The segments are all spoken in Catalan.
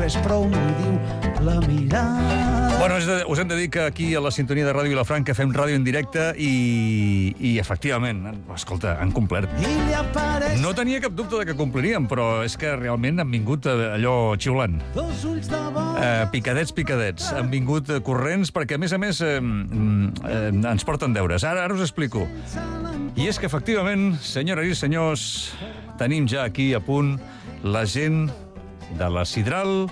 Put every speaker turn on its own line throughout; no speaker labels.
no és prou, no hi diu la mirada.
Bueno, us hem de dir que aquí a la sintonia de Ràdio Vilafranca fem ràdio en directe i efectivament, escolta, han complert. No tenia cap dubte de que complirien, però és que realment han vingut allò xiulant. Picadets. Han vingut corrents perquè, a més, ens porten deures. Ara us explico. I és que, efectivament, senyores i senyors, tenim ja aquí a punt la gent de la Sidral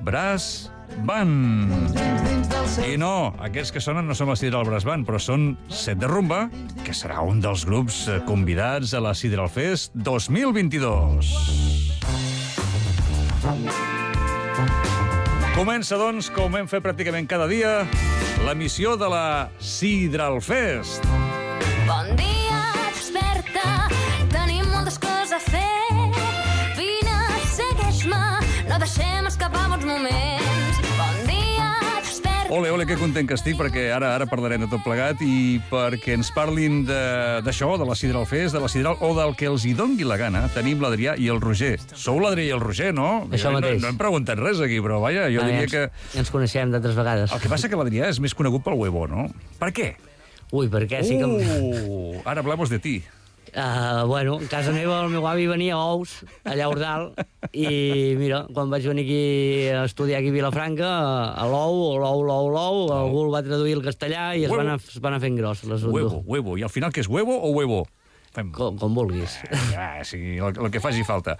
Brass Band. I no, aquests que sonen no són la Sidral Brass Band, però són Set de Rumba, que serà un dels grups convidats a la Sidral Fest 2022. Comença, doncs, com hem fet pràcticament cada dia, l'emissió de la Sidral Fest.
Bon dia, desperta, tenim moltes coses a fer. Vine, segueix-me, no deixem escapar bons moments. Bon dia, desperta.
Ole, que content que estic, perquè ara parlarem de tot plegat i perquè ens parlin d'això, de la Sidral Fest, de la Sidral, o del que els hi dongui la gana. Tenim l'Adrià i el Roger. Sou l'Adrià i el Roger, no?
Això mateix.
No hem preguntat res aquí, però vaja, jo diria que...
Ja ens coneixem d'altres vegades.
El que passa que l'Adrià és més conegut pel huevo, no? Per què?
Ui, per què? Sí que...
Ara hablamos de ti.
Bueno, a casa meva el meu avi venia ous, allà a Ordal, i mira, quan vaig venir aquí a estudiar aquí a Vilafranca, a l'ou, algú el va traduir al castellà i es va anar fent gros.
Huevo. I al final què és, huevo o huevo?
Com vulguis.
Sí, el que faci falta.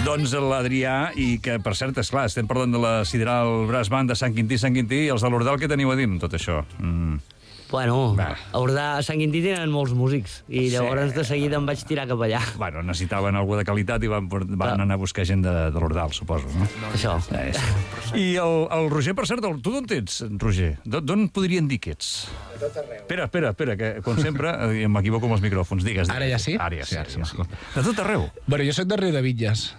Doncs l'Adrià, i que, per cert, esclar, estem parlant de la Sidral Brass Band de Sant Quintí, i els de l'Ordal, què teniu a dir amb tot això?
Bueno, a Sant Quintí tenen molts músics i llavors de seguida em vaig tirar cap allà.
Bueno, necessitaven algú de qualitat i van anar a buscar gent de l'Ordal, suposo, no?
Això.
I el Roger, per cert, tu d'on ets, Roger? D'on podrien dir que ets?
De tot arreu.
Espera, que com sempre m'equivoco amb els micròfons. Digues.
Ara ja sí?
Ara ja sí. De tot arreu?
Bueno, jo soc de Riudebitlles.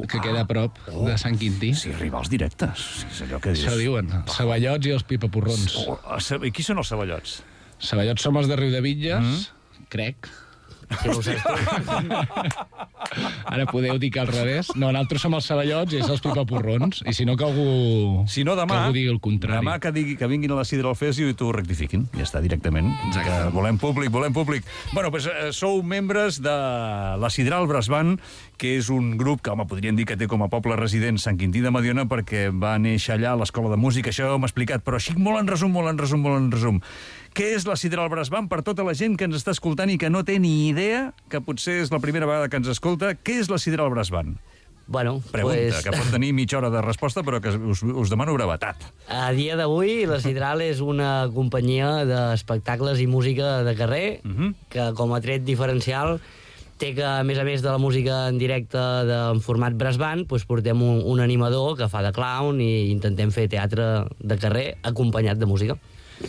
Que queda a prop de Sant Quintí.
Sí, rivals directes. És allò que dius.
Això diuen. Ceballots i els pipaporrons.
I qui són els ceballots?
Ceballots som els de Riudebitlles, crec.
Si no ho saps tu.
Ara podeu dir que al revés. No, nosaltres som els ceballots i ells els pipaporrons. I si no, que algú digui el contrari.
Demà que vinguin a la Sidral Fest i t'ho rectifiquin. Ja està, directament. Que volem públic. Bueno, doncs sou membres de la Sidral Brass Band, que és un grup que, home, podríem dir que té com a poble resident Sant Quintí de Mediona, perquè va néixer allà a l'Escola de Música. Això m'ha explicat, però així molt en resum. Què és la Sidral Brass Band per tota la gent que ens està escoltant i que no té ni idea, que potser és la primera vegada que ens escolta? Què és la Sidral Brass Band?
Bueno,
pregunta, que pot tenir mitja hora de resposta, però que us demano brevetat.
A dia d'avui, la Sidral és una companyia d'espectacles i música de carrer, que com a tret diferencial té que, a més de la música en directe en format brass band, doncs portem un animador que fa de clown i intentem fer teatre de carrer acompanyat de música.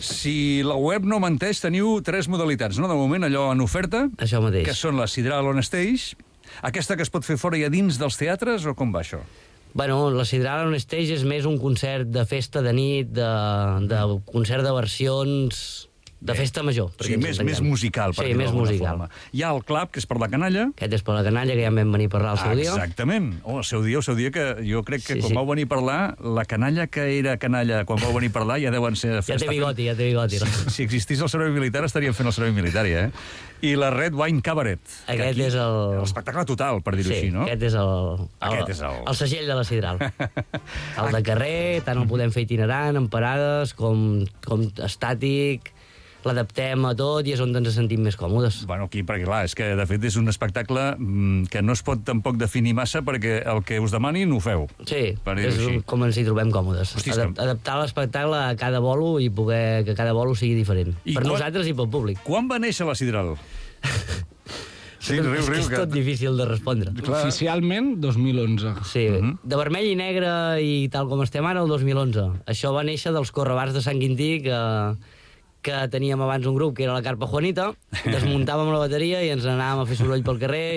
Si la web no menteix, teniu 3 modalitats, no? De moment, allò en oferta.
Això mateix.
Que són la Sidral On Stage, aquesta que es pot fer fora i a dins dels teatres, o com va això?
Bueno, la Sidral On Stage és més un concert de festa de nit, de concert de versions... de festa major.
Sí, més musical, per dir d'alguna forma. Hi ha el club, que és per la canalla.
Aquest és per la canalla, que ja en vam venir a parlar el seu dia.
Exactament. El seu dia, que jo crec que quan vau venir a parlar, la canalla que era canalla quan vau venir a parlar ja deuen ser...
Ja té bigoti.
Si existís el servei militar, estaríem fent el servei militar, I la Red Wine Cabaret.
Aquest és
l'espectacle total, per dir-ho així, no?
Aquest és el segell de la Sidral. El de carrer, tant el podem fer itinerant, en parades, com estàtic... l'adaptem a tot i és on ens sentim més còmodes.
Bueno, aquí, perquè clar, és que de fet és un espectacle que no es pot tampoc definir massa perquè el que us demanin ho feu.
Sí, és com ens hi trobem còmodes. Adaptar l'espectacle a cada bolo i poder que cada bolo sigui diferent. Per nosaltres i pel públic.
Quan va néixer la Sidral?
Sí, és tot difícil de respondre.
Oficialment, 2011.
Sí, de vermell i negre i tal com estem ara, el 2011. Això va néixer dels correbars de Sant Quintí que teníem abans un grup que era la Carpa Juanita, desmuntàvem la bateria i ens anàvem a fer soroll pel carrer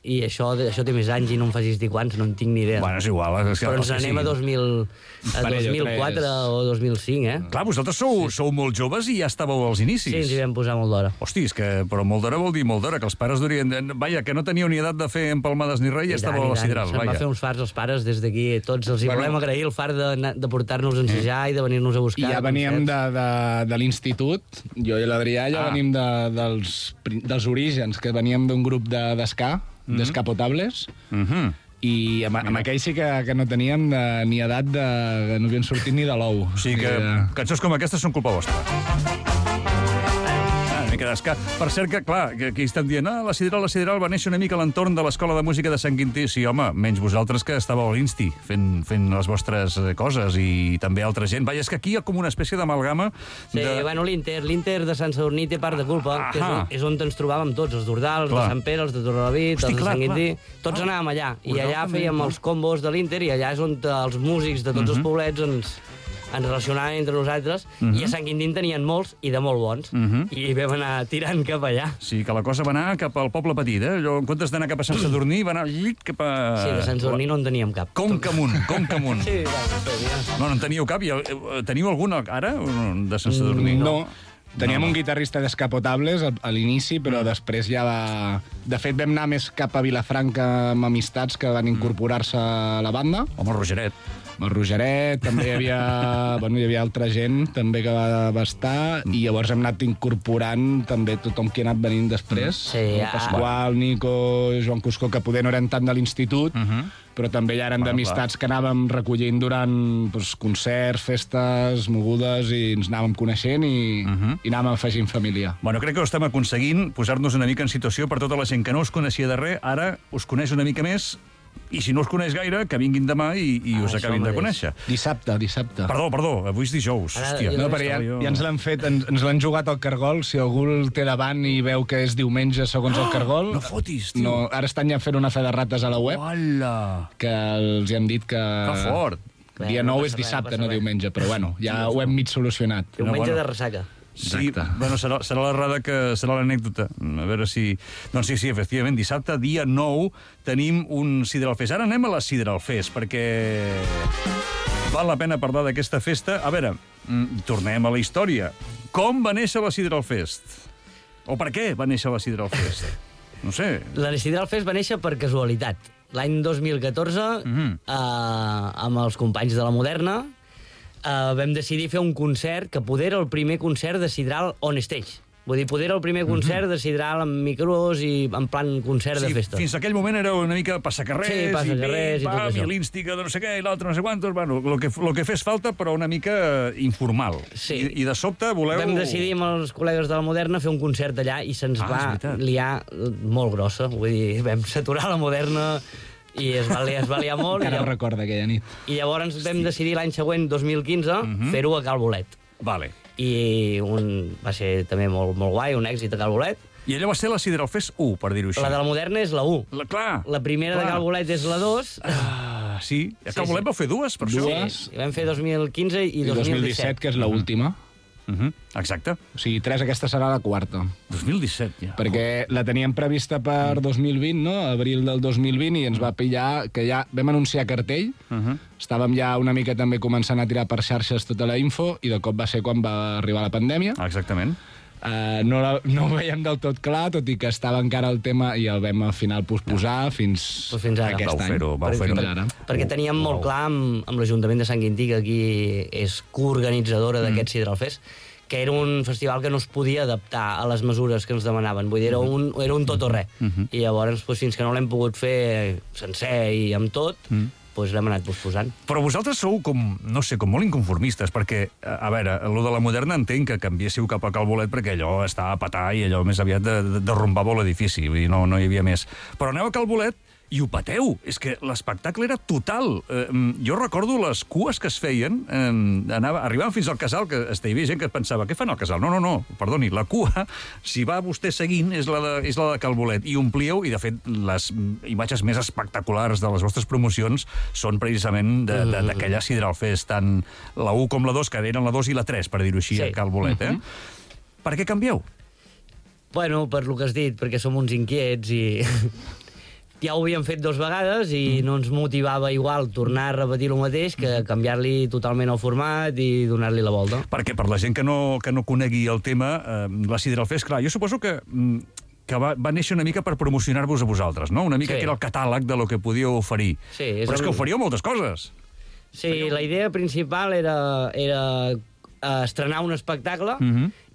i això té més anys i no em facis dir quants, no en tinc ni idea.
Bueno, és igual.
Però ens anem a 2004 o 2005, eh?
Clar, vosaltres sou molt joves i ja estàveu als inicis.
Sí, ens hi vam posar molt d'hora.
Hosti, però molt d'hora vol dir molt d'hora, que els pares durien... Vaja, que no teníeu ni edat de fer empalmades ni res i estàveu a la sidral.
Se'n va fer uns fars els pares des d'aquí. Tots els hi volem agrair el far de portar-nos a ensejar i de venir-nos a buscar.
I ja veníem de l'institut, jo i l'Adrià ja venim dels orígens, que veníem d'un grup d'esca, d'esca potables, i amb aquell sí que no teníem ni edat que no havien sortit ni de l'ou.
O sigui que cançons com aquestes són culpa vostra. Per cert que, clar, aquí estan dient la Sidral va néixer una mica a l'entorn de l'Escola de Música de Sant Quintí. Sí, home, menys vosaltres que estàveu a l'Insti fent les vostres coses i també altra gent. Vaja, és que aquí hi ha com una espècie d'amalgama.
Sí, bueno, l'Inter de Sant Sadurní té part de culpa, que és on ens trobàvem tots, els d'Ordal, els de Sant Pere, els de Torrelavit, els de Sant Quintí. Tots anàvem allà, i allà fèiem els combos de l'Inter, i allà és on els músics de tots els poblets ens relacionaven entre nosaltres, i a Sant Quintí en tenien molts i de molt bons, i vam anar tirant cap allà.
Sí, que la cosa va anar cap al poble petit, eh? Allò, en comptes d'anar cap a Sant Sadurní, va anar cap a...
Sí, de Sant Sadurní no en teníem cap.
Conca amunt. Sí, no en teníeu cap. Teniu algun ara, de Sant Sadurní?
No. Teníem un guitarrista d'escapotables a l'inici, però després ja va... De fet, vam anar més cap a Vilafranca amb amistats que van incorporar-se a la banda.
Home, el Rogeret.
El Rogeret, també hi havia altra gent també que va estar, i llavors hem anat incorporant també tothom qui ha anat venint després.
Sí,
Pasqual, Nico, Joan Cuscó, que poder no eren tant de l'institut, però també ja eren d'amistats que anàvem recollint durant concerts, festes, mogudes, i ens anàvem coneixent i anàvem afegint família.
Bueno, crec que ho estem aconseguint, posar-nos una mica en situació per tota la gent que no us coneixia de res, ara us coneix una mica més, i si no us coneix gaire, que vinguin demà i us acabin de conèixer.
Dissabte.
Perdó, avui és dijous. Hòstia.
No, però ja ens l'han fet, ens l'han jugat al cargol. Si algú el té davant i veu que és diumenge segons el cargol...
No fotis, tio.
No, ara estan ja fent una fe de rates a la web.
Hola!
Que els hi han dit que...
Que fort!
Dia 9 és dissabte, no diumenge, però bueno, ja ho hem mig solucionat.
Diumenge de ressaca.
Sí, bueno, serà l'errada que serà l'anècdota. A veure si... Doncs sí, efectivament, dissabte, dia 9, tenim un Sidral Fest. Ara anem a la Sidral Fest, perquè val la pena parlar d'aquesta festa. A veure, tornem a la història. Com va néixer la Sidral Fest? O per què va néixer la Sidral Fest? No sé.
La Sidral Fest va néixer per casualitat. L'any 2014, amb els companys de la Moderna, vam decidir fer un concert que poder era el primer concert de Sidral on stage. Vull dir, poder era el primer concert de Sidral amb micros i en plan concert de festa.
Fins a aquell moment era una mica passacarrers,
i tot això.
I l'ínstiga de no sé què, i l'altre no sé quantos, bueno, lo que fes falta, però una mica informal.
Sí.
I de sobte voleu...
Vam decidir amb els col·legues de la Moderna fer un concert allà i se'ns va liar molt grossa. Vull dir, vam saturar la Moderna i es va liar molt.
Encara recorda aquella nit.
I llavors vam decidir l'any següent, 2015, fer-ho a Cal Bolet.
Vale.
I va ser també molt guai, un èxit a Cal Bolet.
I allò va ser la Sidral Fest 1, per dir-ho així.
La de la Moderna és la 1.
Clar.
La primera de Cal Bolet és la 2.
Sí, a Cal Bolet vau fer dues, per això.
Sí, vam fer 2015 i 2017.
Que és l'última.
Exacte.
O sigui, 3, aquesta serà la 4.
2017, ja.
Perquè la teníem prevista per 2020, no? Abril del 2020, i ens va pillar que ja vam anunciar cartell, estàvem ja una mica també començant a tirar per xarxes tota la info, i de cop va ser quan va arribar la pandèmia.
Exactament.
No ho veiem del tot clar, tot i que estava encara el tema, i el vam al final posposar fins
ara.
Aquest any.
Vau fer-ho.
Perquè teníem molt clar amb l'Ajuntament de Sant Quintí, que aquí és coorganitzadora d'aquest Sidral Fest, que era un festival que no es podia adaptar a les mesures que ens demanaven. Vull dir, era un tot o res. I llavors, fins que no l'hem pogut fer sencer i amb tot, doncs l'hem anat posposant.
Però vosaltres sou com, no sé, com molt inconformistes, perquè, a veure, allò de la Moderna entenc que canviéssiu cap a Cal Bolet perquè allò estava a petar i allò més aviat derrumbava l'edifici, vull dir, no hi havia més. Però aneu a Cal Bolet i ho pateu. És que l'espectacle era total. Jo recordo les cues que es feien, arribaven fins al casal, que hi havia gent que pensava, què fan al casal? No, perdoni, la cua, si va vostè seguint, és la de Cal Bolet. I omplíeu, i de fet, les imatges més espectaculars de les vostres promocions són precisament d'aquella Sidral Fest, tant la 1 com la 2, que eren la 2 i la 3, per dir-ho així, a Cal Bolet. Per què canvieu?
Bueno, per lo que has dit, perquè som uns inquiets i ja ho havíem fet 2 vegades i no ens motivava igual tornar a repetir el mateix que canviar-li totalment el format i donar-li la volta.
Perquè per la gent que no conegui el tema, la Sidral Fest, clar, jo suposo que va néixer una mica per promocionar-vos a vosaltres, no? Una mica que era el catàleg de lo que podíeu oferir.
Sí,
però és que oferíeu moltes coses.
Sí, la idea principal era estrenar un espectacle,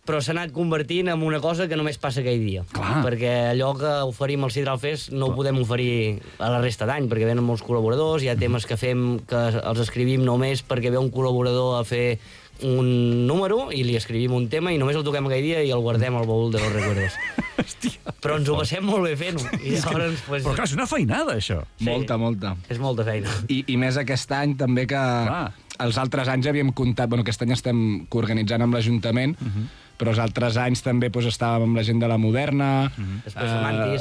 però s'ha anat convertint en una cosa que només passa aquell dia.
Clar.
Perquè allò que oferim al Sidral Fest no ho podem oferir a la resta d'any, perquè venen molts col·laboradors, hi ha temes que fem que els escrivim només perquè ve un col·laborador a fer un número i li escrivim un tema i només el toquem aquell dia i el guardem al baúl de los recuerdos.
Hòstia.
Però ens ho passem molt bé fent-ho. I llavors, pues,
Però clar, és una feinada, això.
Sí.
Molta.
és molta feina.
I més aquest any també que els altres anys havíem comptat, bueno, aquest any estem coorganitzant amb l'Ajuntament, però els altres anys també doncs, estàvem amb la gent de la Moderna,
Després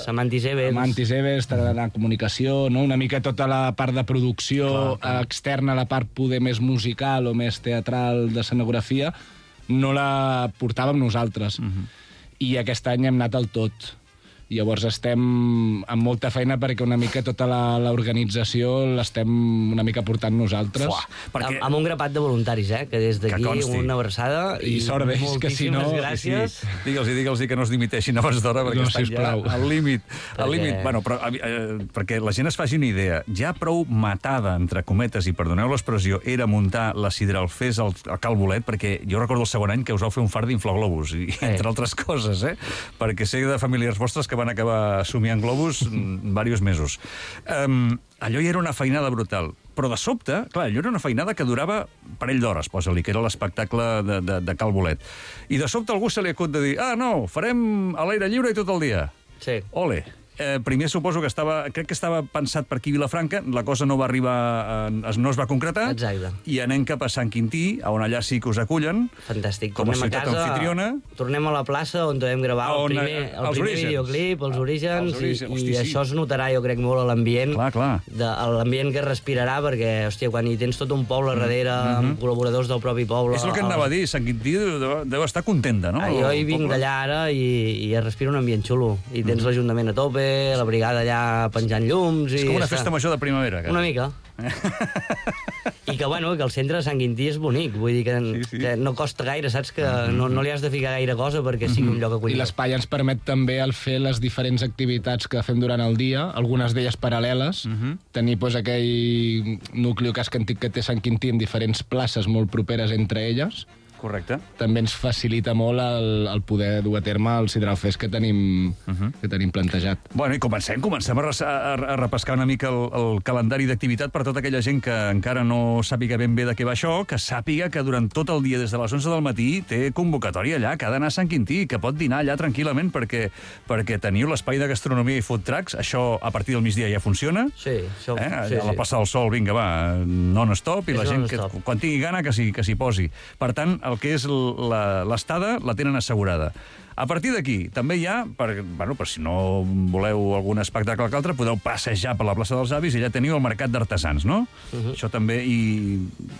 Amantis Events.
Amantis Events, la comunicació, no? Una mica tota la part de producció externa, la part poder més musical o més teatral d'escenografia, no la portàvem nosaltres. I aquest any hem anat al tot. Llavors estem amb molta feina perquè una mica tota l'organització l'estem una mica portant nosaltres.
Perquè...
Amb un grapat de voluntaris, que des d'aquí una abraçada.
I sort d'ells, que si no...
Gràcies.
Sí. Digue'ls que no es dimiteixin abans d'hora perquè estan ja al límit. Al límit. Bueno, però, perquè la gent es faci una idea, ja prou matada, entre cometes, i perdoneu l'expressió, era muntar la Sidral Fest al Cal Bolet, perquè jo recordo el segon any que us vau fer un fart d'inflaglobus, entre altres coses, perquè sé de familiars vostres que van acabar somiant globus diversos mesos. Allò ja era una feinada brutal. Però de sobte, clar, allò era una feinada que durava parell d'hores, posa-li, que era l'espectacle de Cal Bolet. I de sobte algú se li acut de dir no, farem a l'aire lliure i tot el dia.
Sí.
Ole. Primer suposo que crec que estava pensat per aquí a Vilafranca, la cosa no va arribar, no es va concretar.
Exacte.
I anem cap a Sant Quintí, on allà sí que us acullen.
Fantàstic.
Com a ciutat anfitriona.
Tornem a la plaça on vam gravar el primer videoclip, els orígens, i això es notarà, jo crec, molt a l'ambient.
Clar.
L'ambient que respirarà, perquè, hòstia, quan hi tens tot un poble darrere, amb col·laboradors del propi poble...
És el que anava a dir, Sant Quintí deu estar contenta, no?
Jo hi vinc d'allà ara i es respira un ambient xulo. I tens l'Ajuntament a tope, la brigada allà penjant llums...
És com una festa major de primavera.
Una mica. I que, bueno, que el centre de Sant Quintí és bonic. Vull dir que no costa gaire, saps? Que no li has de ficar gaire cosa perquè sigui un lloc acollidor.
I l'espai ens permet també el fer les diferents activitats que fem durant el dia, algunes d'elles paral·leles, tenir aquell nucli antic que té Sant Quintí en diferents places molt properes entre elles.
Correcte.
També ens facilita molt el poder dur a terme el Sidral Fest que tenim plantejat.
Bueno, i comencem a repescar una mica el calendari d'activitat per tota aquella gent que encara no sàpiga ben bé de què va això, que sàpiga que durant tot el dia, des de les 11 del matí, té convocatòria allà, que ha d'anar a Sant Quintí, que pot dinar allà tranquil·lament perquè teniu l'espai de gastronomia i food trucks. Això a partir del migdia ja funciona.
Sí, això...
A la passada del sol, vinga, va, non-stop, i la gent, quan tingui gana, que s'hi posi. Per tant, el que és l'estada la tenen assegurada. A partir d'aquí, també hi ha, per si no voleu algun espectacle que altre, podeu passejar per la plaça dels Avis i allà teniu el mercat d'artesans, no? Això també...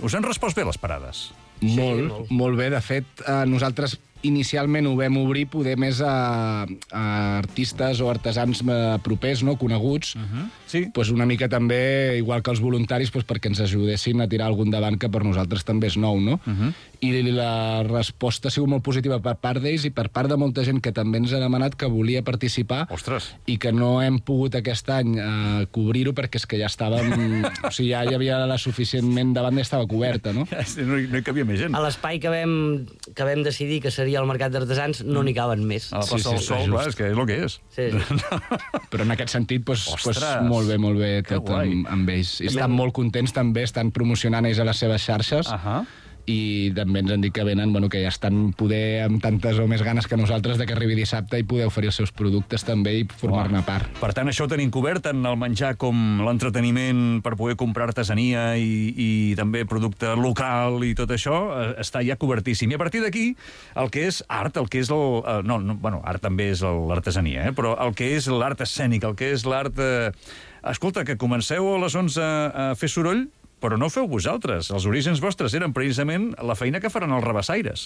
Us han respost bé les parades?
Molt bé. De fet, nosaltres inicialment ho vam obrir poder més a artistes o artesans propers, no? Coneguts.
Sí.
Pues una mica també, igual que els voluntaris, pues perquè ens ajudessin a tirar algun davant que per nosaltres també és nou, no? I la resposta ha sigut molt positiva per part d'ells i per part de molta gent que també ens ha demanat que volia participar.
Ostres.
I que no hem pogut aquest any cobrir-ho perquè és que ja estàvem... O sigui, ja hi havia la suficientment davant i estava coberta, no?
No hi cabia més gent.
A l'espai que vam decidir que seria el mercat d'artesans no n'hi caben més.
A la plaça del Sol, clar, és que és el que és.
Sí.
Però en aquest sentit, molt bé tot amb ells. I estan molt contents també, estan promocionant ells a les seves xarxes i també ens han dit que venen, que ja estan poder amb tantes o més ganes que nosaltres de que arribi dissabte i poder oferir els seus productes també i formar-ne part.
Per tant, això ho tenim cobert, tant el menjar com l'entreteniment per poder comprar artesania i també producte local i tot això, està ja cobertíssim. I a partir d'aquí, el que és art, el que és art també és l'artesania, però el que és l'art escènic, el que és l'art... Escolta, que comenceu a les 11 a fer soroll, però no ho feu vosaltres. Els orígens vostres eren precisament la feina que faran els rabassaires.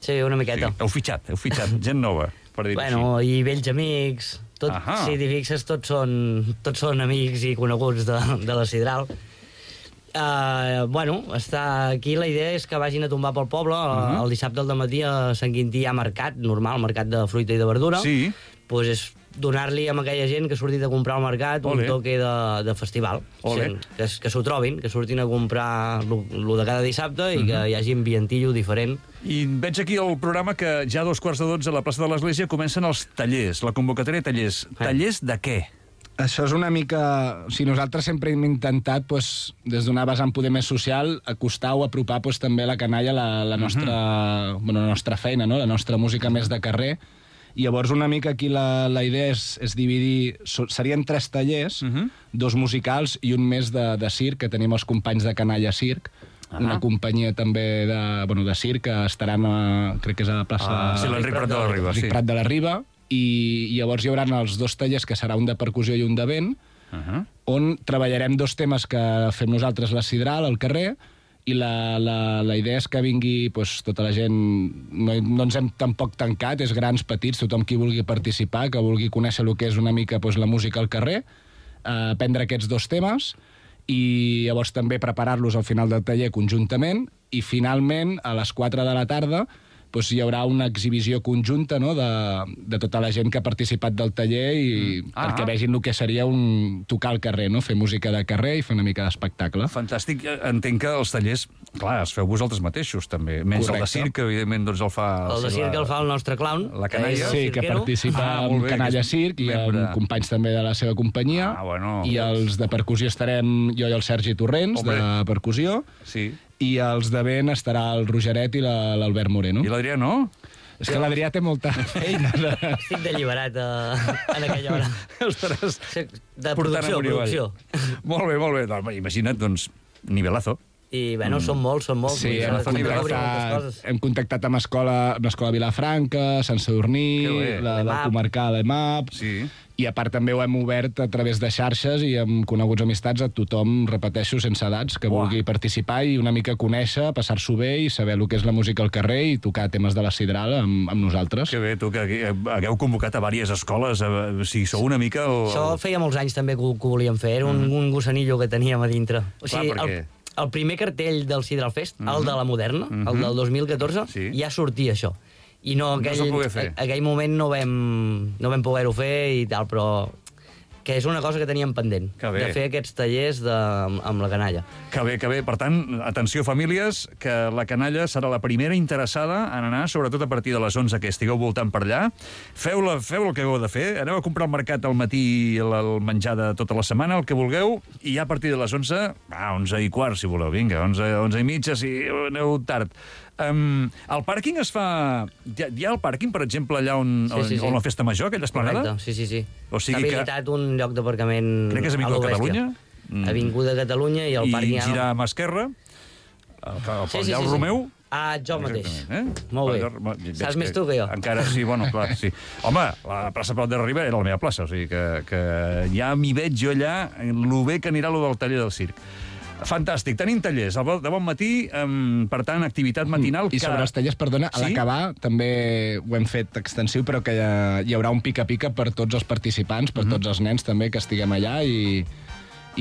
Sí, una miqueta.
Sí, heu fitxat, gent nova, per dir-ho així.
I vells amics, Si t'hi fixes, tots són amics i coneguts de la Sidral. Aquí la idea és que vagin a tombar pel poble. El dissabte al dematí a Sant Quintí hi ha mercat, normal, mercat de fruita i de verdura.
Sí.
Pues és donar-li a aquella gent que ha sortit a comprar al mercat un toque de festival. Que s'ho trobin, que surtin a comprar lo de cada dissabte i que hi hagi ambientillo diferent.
I veig aquí el programa que ja a 2:45 a la plaça de l'Església comencen els tallers, la convocatòria de tallers. Tallers de què?
Això és una mica... nosaltres sempre hem intentat, des d'una vessant poder més social, acostar o apropar també la canalla a la nostra feina, no? La nostra música més de carrer. I llavors una mica aquí la idea és dividir... Serien 3 tallers, 2 musicals i un més de circ, que tenim els companys de Canalla Circ, una companyia també de circ que estaran crec que és a la plaça...
Sí, l'Enric Prat de la Riba.
Enric Prat de la Riba. I llavors hi haurà els 2 tallers, que serà un de percussió i un de vent, on treballarem 2 temes que fem nosaltres la Sidral al carrer, i la idea és que vingui tota la gent... No ens hem tampoc tancat, és grans, petits, tothom qui vulgui participar, que vulgui conèixer el que és una mica la música al carrer, aprendre aquests 2 temes, i llavors també preparar-los al final del taller conjuntament, i finalment, a les 4 de la tarda, hi haurà una exhibició conjunta, no?, de tota la gent que ha participat del taller perquè vegin el que seria tocar al carrer, no?, fer música de carrer i fer una mica d'espectacle.
Fantàstic. Entenc que els tallers, clar, els feu vosaltres mateixos, també. Menys el de circ, que evidentment el fa...
El de circ el fa el nostre clown.
La canalla.
Sí, que participa amb Canalla Circ i amb companys també de la seva companyia. I els de percussió estarem jo i el Sergi Torrents, de percussió.
Sí.
I els de vent estarà el Rogeret i l'Albert Moreno.
I l'Adrià no?
És que l'Adrià té molta feina.
Estic d'alliberat en aquella hora.
Estaràs
de producció.
Molt bé. Imagina't, doncs, nivelazo.
I, són molts.
Sí, hem contactat amb l'escola Vilafranca, Sant Sadurní, la comarcal EMAP, i a part també ho hem obert a través de xarxes i amb coneguts amistats a tothom, repeteixo, sense edats, que vulgui participar i una mica conèixer, passar-s'ho bé i saber el que és la música al carrer i tocar temes de la Sidral amb nosaltres.
Que bé, tu, que hagueu convocat a diverses escoles, o sigui, sou una mica...
Això feia molts anys també que ho volíem fer, era un gossanillo que teníem a dintre. O sigui, el primer cartell del Sidral Fest, el de la Moderna, el del 2014, ja sortia això. I aquell moment no vam poder-ho fer i tal, però que és una cosa que teníem pendent, de fer aquests tallers amb la canalla.
Que bé. Per tant, atenció, famílies, que la canalla serà la primera interessada en anar, sobretot a partir de les 11, que estigueu voltant per allà. Feu el que heu de fer. Aneu a comprar al mercat al matí el menjar de tota la setmana, el que vulgueu, i ja a partir de les 11, 11:15, si voleu, vinga, 11:30, si aneu tard. El pàrquing es fa... Hi ha el pàrquing, per exemple, allà on la festa major, aquella esplanada?
Correcte, sí.
O sigui
està habilitat un lloc d'aparcament a
crec que és Avinguda Catalunya.
Avinguda Catalunya i el pàrquing...
I girar a mà esquerra, allà el Romeu...
Jo mateix. Molt bé. Saps més tu que jo.
Encara, sí, clar, sí. Home, la plaça Prat de la Riba era la meva plaça, o sigui que ja m'hi veig jo allà, lo bé que anirà lo del taller del circ. Fantàstic, tenim tallers de bon matí, per tant, activitat matinal...
I sobre els tallers, perdona, a l'acabar també ho hem fet extensiu, però que hi haurà un pica-pica per tots els participants, per tots els nens també que estiguem allà i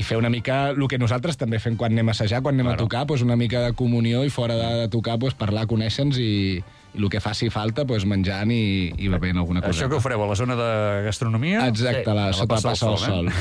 fer una mica el que nosaltres també fem quan anem a assajar, quan anem a tocar, una mica de comunió i fora de tocar parlar, conèixer-nos i el que faci falta, menjant i bevent alguna cosa.
Això que ho fareu a la zona de gastronomia?
Exacte, sota la Passa del Sol.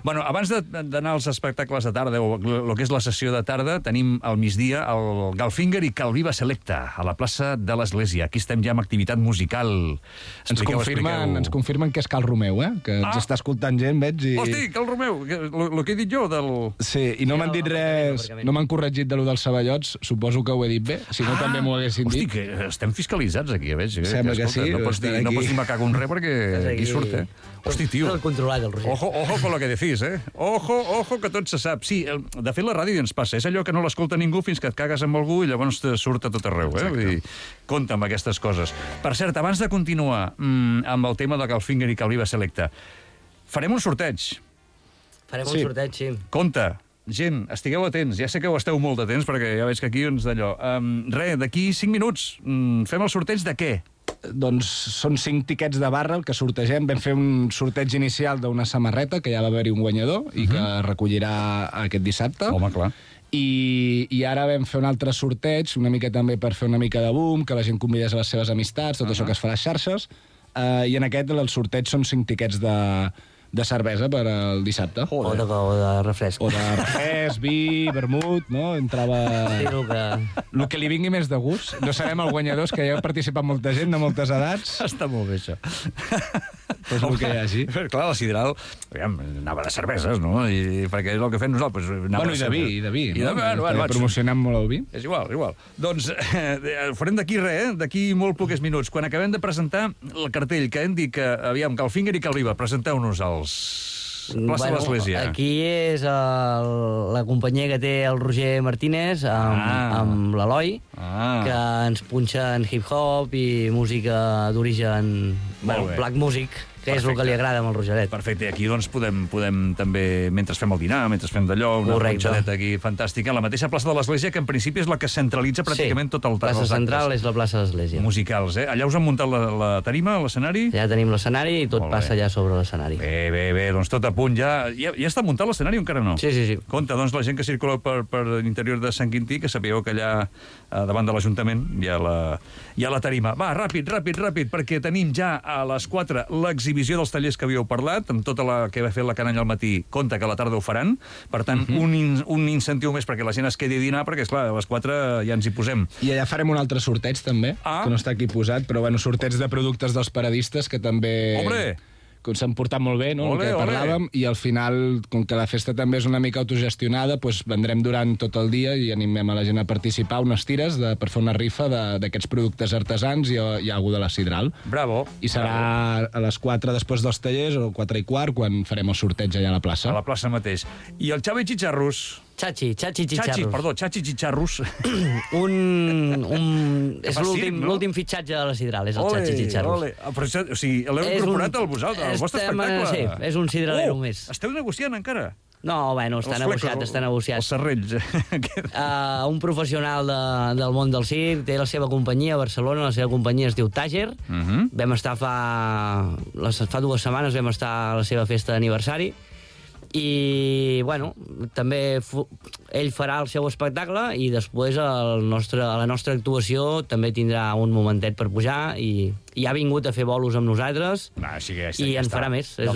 Bueno, abans d'anar als espectacles de tarda, o el que és la sessió de tarda, tenim al migdia el Galfinger i Calviva Selecta, a la plaça de l'Església. Aquí estem ja amb activitat musical.
Ens confirmen que és Cal Romeu, que ens està escoltant gent, veig.
Hosti, Cal Romeu, el que he dit jo del...
Sí, i no m'han dit res, no m'han corregit de lo dels ceballots, suposo que ho he dit bé, si no també m'ho haguessin dit.
Que estem fiscalitzats aquí, veig.
Sembla que sí.
No pots dir me cago en res perquè aquí surt, Hosti, tio.
Tot controlat, el Roger.
Ojo con lo que decís, Ojo, que tot se sap. Sí, de fet, la ràdio ens passa. És allò que no l'escolta ningú fins que et cagues amb algú i llavors te surt a tot arreu, Vull dir, compta amb aquestes coses. Per cert, abans de continuar amb el tema de Galfinger i Calviva Selecta, farem un sorteig.
Farem un sorteig, sí.
Compte. Gent, estigueu atents. Ja sé que ho esteu molt atents, perquè ja veig que aquí, d'allò... d'aquí 5 minuts, fem el sorteig de què?
doncs són 5 tiquets de barra el que sortegem. Vam fer un sorteig inicial d'una samarreta, que ja va haver-hi un guanyador, i que recollirà aquest dissabte.
Home, clar.
I ara vam fer un altre sorteig, una mica també per fer una mica de boom, que la gent convidés a les seves amistats, tot això que es fa a les xarxes, i en aquest el sorteig són 5 tiquets de cervesa per al dissabte.
O de refresc.
O de refresc, vi, vermut, no? Entrava...
Sí,
el que li vingui més de gust. No sabem el guanyador, que ja ha participat molta gent de moltes edats.
Està molt bé, això.
Pues el que hi hagi.
Clar, la Sidral, aviam, anava de cerveses, no? I perquè és el que fem nosaltres.
Bueno, i de vi, i de vi.
Bueno,
promocionem molt el vi.
És igual. Doncs farem d'aquí res, d'aquí molt pocs minuts. Quan acabem de presentar el cartell, que hem dit que, aviam, que el Finger i que el Viva, presenteu-nos els... Plaça de l'Església.
Aquí és la companyia que té el Roger Martínez amb l'Eloi, que ens punxa en hip-hop i música d'origen, black music, que és el que li agrada amb el Rogeret.
Perfecte, i aquí doncs podem també, mentre fem el dinar, mentre fem d'allò, una punxadeta aquí fantàstica, la mateixa plaça de l'Església, que en principi és la que centralitza pràcticament tot el
plaça central és la plaça de l'Església.
Musicals, eh? Allà us han muntat la tarima, l'escenari?
Ja tenim l'escenari i tot passa allà sobre l'escenari.
Bé, doncs tot a punt ja. Ja està muntat l'escenari o encara no?
Sí.
Compte, doncs, la gent que circula per l'interior de Sant Quintí, que sapigueu que allà davant de l'Ajuntament hi ha la tarima. Va, ràpid, perquè tenim ja a les 4 l'exhibició dels tallers que havíeu parlat, amb tota la que va fer la canalla al matí, compte que a la tarda ho faran. Per tant, un incentiu més perquè la gent es quedi a dinar, perquè, esclar, a les 4 ja ens hi posem.
I allà farem un altre sorteig, també, que no està aquí posat, però, bueno, sorteig de productes dels paradistes, que també...
Hombre!
Que s'han portat molt bé, no?, el que parlàvem, i al final, com que la festa també és una mica autogestionada, doncs vendrem durant tot el dia i animem a la gent a participar unes tires per fer una rifa d'aquests productes artesans i algú de la Sidral.
Bravo.
I serà a les 4 després dels tallers, o 4:15, quan farem el sorteig allà a la plaça.
A la plaça mateix. I el Xavi Chicharros...
Chachi Chicharros.
Chachi Chicharros.
És l'últim fitxatge de la Sidral, és el Chachi Chicharros.
Però, o sigui, l'heu incorporat al vostre espectacle?
Sí, és un sidralero més.
Esteu negociant encara?
No, bueno, està negociat.
Els serrells.
Un professional del món del circ, té la seva companyia a Barcelona, la seva companyia es diu Tàger. Vam estar fa 2 setmanes, vam estar a la seva festa d'aniversari. I, bueno, també ell farà el seu espectacle i després a la nostra actuació també tindrà un momentet per pujar i ha vingut a fer bolos amb nosaltres i en farà més. És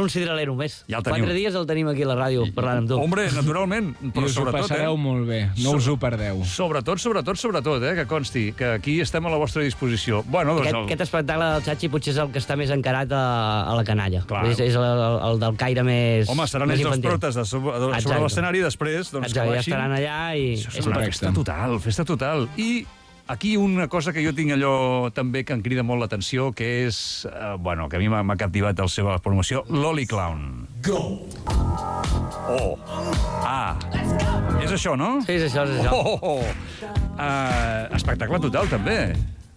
un sidralero més. 4 dies el tenim aquí a la ràdio parlant amb tu.
Hombre, naturalment.
I us ho passareu molt bé. No us ho perdeu.
Sobretot, que consti que aquí estem a la vostra disposició.
Aquest espectacle del Chachi potser és el que està més encarat a la canalla. És el del caire més...
Home, seran ells els protes sobre l'escenari i després...
Exacte, ja estaran allà i...
És una festa total. I aquí una cosa que jo tinc allò també que em crida molt l'atenció, que és, que a mi m'ha captivat la seva promoció, l'Oli Clown. Go! És això, no?
Sí, és això.
Espectacle total, també.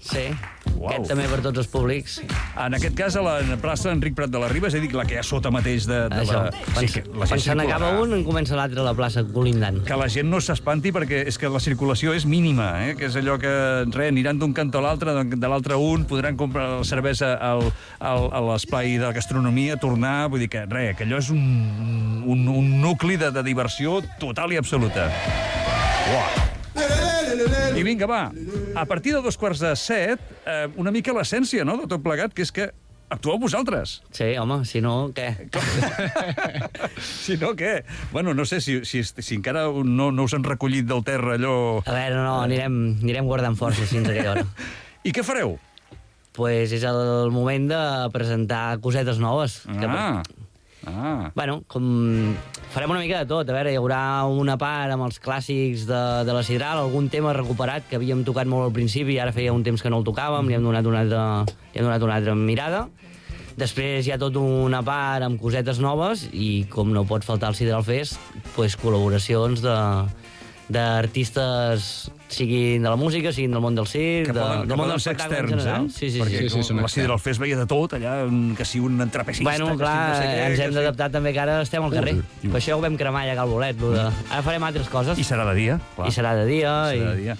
Sí, aquest també per tots els públics.
En aquest cas, a la plaça Enric Prat de la Riba, és a dir, la que hi ha sota mateix de
això. Quan se n'acaba un, en comença l'altre a la plaça colindant.
Que la gent no s'espanti, perquè és que la circulació és mínima, que és allò que, aniran d'un cantó a l'altre, de l'altre un, podran comprar la cervesa a l'espai de gastronomia, tornar, vull dir que, que allò és un nucli de diversió total i absoluta. Uau! I vinga, va, a partir de 6:15, una mica l'essència, no?, de tot plegat, que és que actueu vosaltres.
Sí, home, si no, què?
Si no, què? Bueno, no sé, si encara no us han recollit del terra allò...
A veure, no, anirem guardant forces fins a aquella hora.
I què fareu?
Pues és el moment de presentar cosetes noves. Bueno, farem una mica de tot. A veure, hi haurà una part amb els clàssics de la Sidral, algun tema recuperat que havíem tocat molt al principi i ara feia un temps que no el tocàvem, li hem donat una altra mirada. Després hi ha tot una part amb cosetes noves i, com no pot faltar el Sidral Fest, col·laboracions d'artistes, siguin de la música, siguin del món del circ, del món del espectacle en general.
Sí, la Sidral Fest veia de tot, allà, que si un trapecista...
Bueno, clar, ens hem d'adaptar també, que ara estem al carrer. Per això ho vam cremar ja al bolet. Ara farem altres coses.
I serà de dia.
I serà de dia.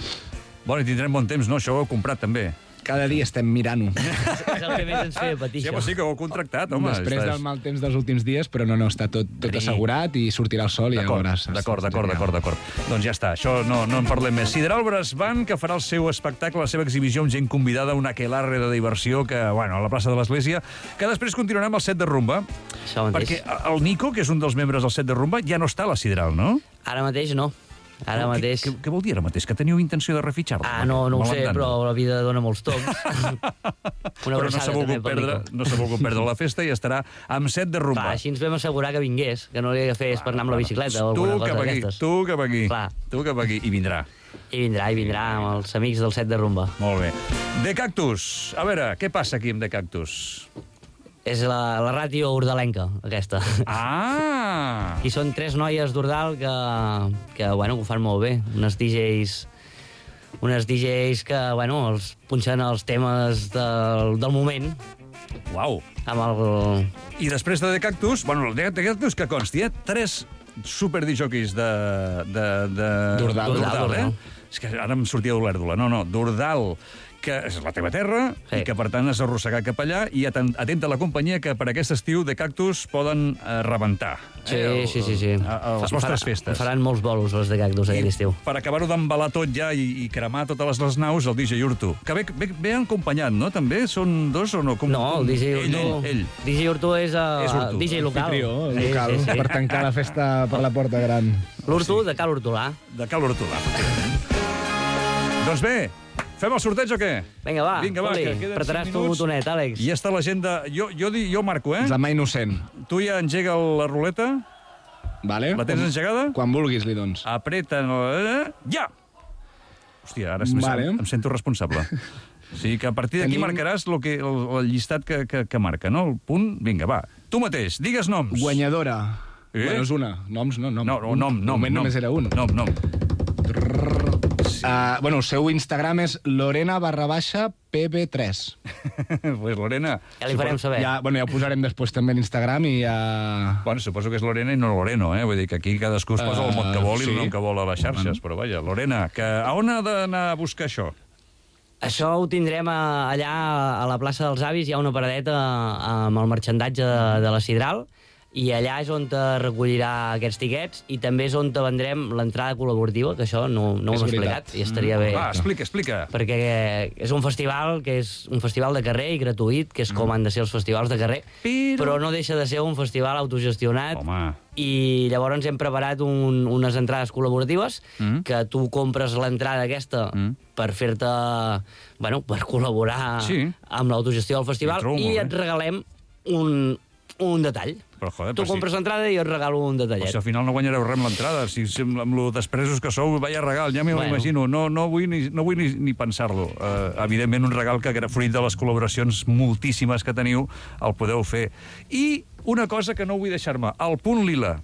Bueno, i tindrem bon temps, no? Això ho heu comprat, també.
Cada dia estem mirant-ho.
És el que més ens feia patir,
Sí,
això.
però sí que ho heu contractat, home.
Després del mal temps dels últims dies, però no, està tot assegurat i sortirà el sol i ja veuràs.
D'acord. Doncs ja està, això no en parlem més. Sideral Brass Band, que farà el seu espectacle, la seva exhibició amb gent convidada, un aquelarre de diversió que, bueno, a la plaça de l'Església, que després continuarem el set de rumba.
Això mateix.
Perquè el Nico, que és un dels membres del set de rumba, ja no està a la Sideral, no?
Ara mateix no. Ara mateix...
Què vol dir ara mateix? Que teniu intenció de refitxar-lo?
No ho sé, però la vida dona molts tocs.
Però no s'ha volgut perdre la festa i estarà amb set de rumba.
Clar, així ens vam assegurar que vingués, que no li fes per anar amb la bicicleta o alguna cosa d'aquestes.
Tu cap aquí. I vindrà.
I vindrà amb els amics del set de rumba.
Molt bé. The Cactus. A veure, què passa aquí amb The Cactus?
És la ràtio hordalenca, aquesta.
Ah!
I són 3 noies d'Ordal que ho fan molt bé. Unes DJs que, els punxen els temes del moment.
Uau! I després de The Cactus, el The Cactus que consti, 3 superdisjòquis d'Ordal, eh? És que ara em sortia d'Olèrdola. No, d'Ordal, que és la teva terra, i que, per tant, has arrossegat cap allà, i atenta a la companyia que per aquest estiu de Cactus poden rebentar.
Sí.
A les vostres festes.
Faran molts bolos, les de Cactus, aquest estiu.
Per acabar-ho d'embalar tot ja i cremar totes les naus, el DJ Urtu. Que ve acompanyat, no? També? Són 2 o no?
No, el DJ Urtu...
Ell.
DJ Urtu és el DJ local.
Local, per tancar la festa per la porta gran.
L'Urtu de Cal Hortolà.
De Cal Hortolà. Doncs bé, fem el sorteig o què?
Vinga, va,
que
apretaràs tu el botonet, Àlex.
I ja està l'agenda. Jo marco, eh?
És la mà innocent.
Tu ja engega la ruleta?
Vale.
La tens engegada?
Quan vulguis, li dones.
Apreta... Ja! Hòstia, ara em sento responsable. O sigui que a partir d'aquí marcaràs el llistat que marca, no? El punt... Vinga, va. Tu mateix, digues noms.
Guanyadora. Bueno, és una. Noms, no, nom.
No, nom.
De moment només era un.
Nom.
El seu Instagram és Lorena_PB3.
Pues Lorena...
Ja li farem saber.
Ja ho posarem després també a l'Instagram i ja...
Bueno, suposo que és Lorena i no Loreno, eh? Vull dir que aquí cadascú es posa el mot que vol i el nom que vol a les xarxes, però vaja, Lorena, a on ha d'anar a buscar això?
Això ho tindrem allà a la plaça dels Avis, hi ha una paradeta amb el marxandatge de la Sidral, i allà és on te recollirà aquests tiquets i també és on te vendrem l'entrada col·laborativa, que això no ho hem explicat i estaria bé.
Va, explica.
Perquè és un festival que és un festival de carrer i gratuït, que és com han de ser els festivals de carrer, però no deixa de ser un festival autogestionat.
Home.
I llavors hem preparat unes entrades col·laboratives que tu compres l'entrada aquesta per fer-te, per col·laborar amb l'autogestió del festival i et regalem un detall.
Però, joder,
tu compres l'entrada i jo et regalo un detallet.
Però si al final no guanyareu res amb l'entrada, si amb lo despresos que sou, vaya regal, ja m'ho imagino, no vull ni pensar-lo. Evidentment, un regal que, fruit de les col·laboracions moltíssimes que teniu, el podeu fer. I una cosa que no vull deixar-me, el Punt Lila.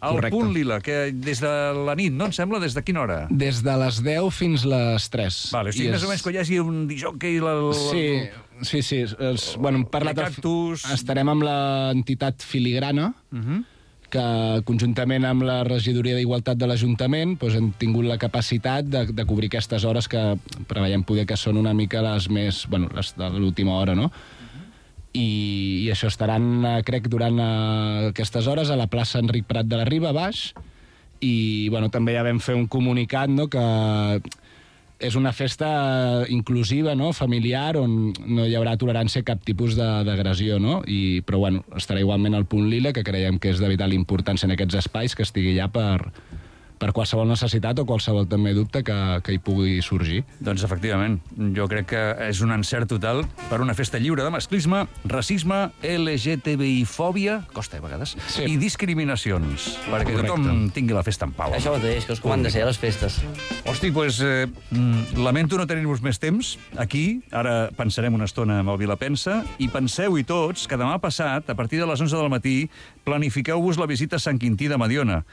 Correcte.
Punt Lila, que des de la nit, no em sembla? Des de quina hora?
Des de les 10 fins les 3.
Vale, o sigui, més o menys que hi hagi un disjockey...
Sí. Hem parlat... Estarem amb l'entitat Filigrana, que conjuntament amb la regidoria d'Igualtat de l'Ajuntament hem tingut la capacitat de cobrir aquestes hores que preveiem poder que són una mica les més... les de l'última hora, no? I això estaran, crec, durant aquestes hores a la plaça Enric Prat de la Riba, baix, i també ja vam fer un comunicat, no?, que és una festa inclusiva, no?, familiar, on no hi haurà tolerància a cap tipus d'agressió, no?, però estarà igualment al Punt Lila, que creiem que és de vital importància en aquests espais, que estigui allà per qualsevol necessitat o qualsevol també dubte que hi pugui sorgir.
Doncs efectivament, jo crec que és un encert total per una festa lliure de masclisme, racisme, LGTBI-fòbia, costa a vegades, i discriminacions, perquè tothom tingui la festa en pau.
Això mateix, que és com han de ser les festes.
Hosti, doncs lamento no tenir-vos més temps aquí, ara pensarem una estona amb el Vilapensa, i penseu-hi tots que demà passat, a partir de les 11 del matí, planifiqueu-vos la visita a Sant Quintí de Mediona,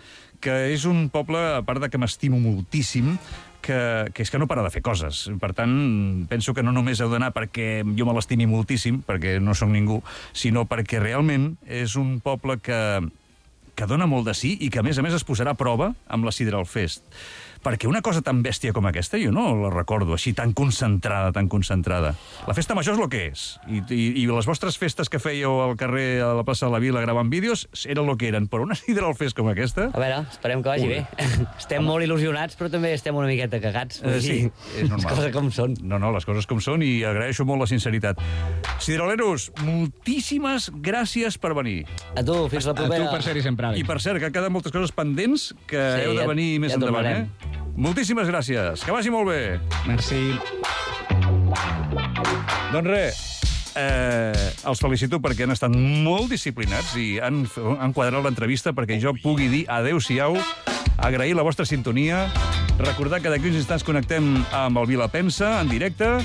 que és un poble, a part de que m'estimo moltíssim, que és que no para de fer coses. Per tant, penso que no només heu d'anar perquè jo me l'estimi moltíssim, perquè no sóc ningú, sinó perquè realment és un poble que dona molt de sí i que, a més es posarà a prova amb la Sideral Fest. Perquè una cosa tan bèstia com aquesta jo no la recordo així, tan concentrada, tan concentrada. La festa major és el que és. I les vostres festes que fèieu al carrer, a la plaça de la Vila, gravant vídeos, eren el que eren. Però una Sidral Fest com aquesta...
A veure, esperem que vagi bé. Estem molt il·lusionats, però també estem una miqueta cagats.
Sí, és normal.
Les coses com són.
No, les coses com són, i agraeixo molt la sinceritat. Sidraleros, moltíssimes gràcies per venir.
A tu, fins la propera.
A tu per ser-hi sempre.
I per cert, que queden moltes coses pendents que heu de venir més endavant, Moltíssimes gràcies. Que vagi molt bé.
Merci.
Doncs res, els felicito perquè han estat molt disciplinats i han quadrat l'entrevista perquè jo pugui dir adéu-siau, agrair la vostra sintonia, recordar que d'aquí uns instants connectem amb el Vila Pensa en directe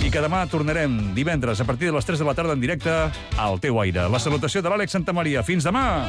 i que demà tornarem divendres a partir de les 3 de la tarda en directe al teu aire. La salutació de l'Àlex Santamaria. Fins demà!